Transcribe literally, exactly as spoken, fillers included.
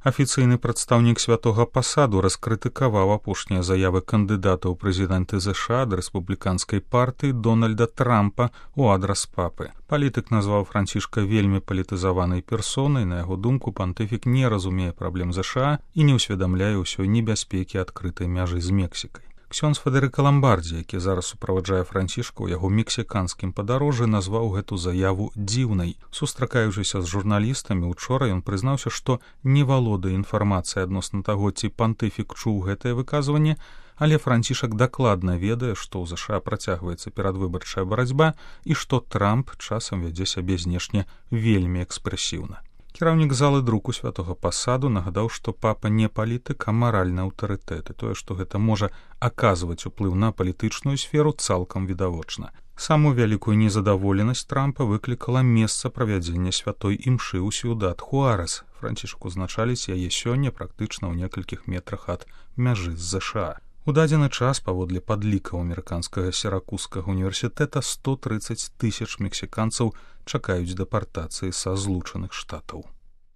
Афіцыйны прадстаўнік святога пасаду раскрытыкаваў апошнія заявы кандыдата ў прэзідэнты ЗША ад рэспубліканскай партыі Дональда Трампа ў адрас папы. Палітык назваў Францішка вельмі палітызаванай персонай. На яго думку, пантыфік не разумее праблем ЗША і не ўсведамляе ўсёй небяспекі адкрытай мяжы з Мексікай. Ксёндз Федэрыка Ламбардзі, які зараз суправаджае Францішка ў яго мексіканскім падарожжы, назваў гэту заяву дзіўнай. Сустракаючыся з журналістамі, учора ён прызнаўся, што не валодае інфармацыяй адносна таго, ці пантыфік чуў гэтае выказванне, але Францішак дакладна ведае, што ў ЗША працягваецца перадвыбарчая барацьба і што Трамп часам вядзе сябе знешне вельмі экспрэсіўна. Кіраўнік залы друку святога пасаду нагадаў, што папа не палітык, а маральны аўтарытэт, і тое, што гэта можа аказваць уплыў на палітычную сферу, цалкам відавочна. Самую вялікую незадаволенасць Трампа выклікала месца правядзення святой імшы ў Сьюдад Хуарэс. Францішак узначаліць яе сёння практычна ў некалькіх метрах ад мяжы з ЗША. У дадзены час, паводле падлікаў амерыканскага Сіракузскага універсітэта, сто трыццаць тысяч мексіканцаў чакаюць дэпартацыі са Злучаных Штатаў.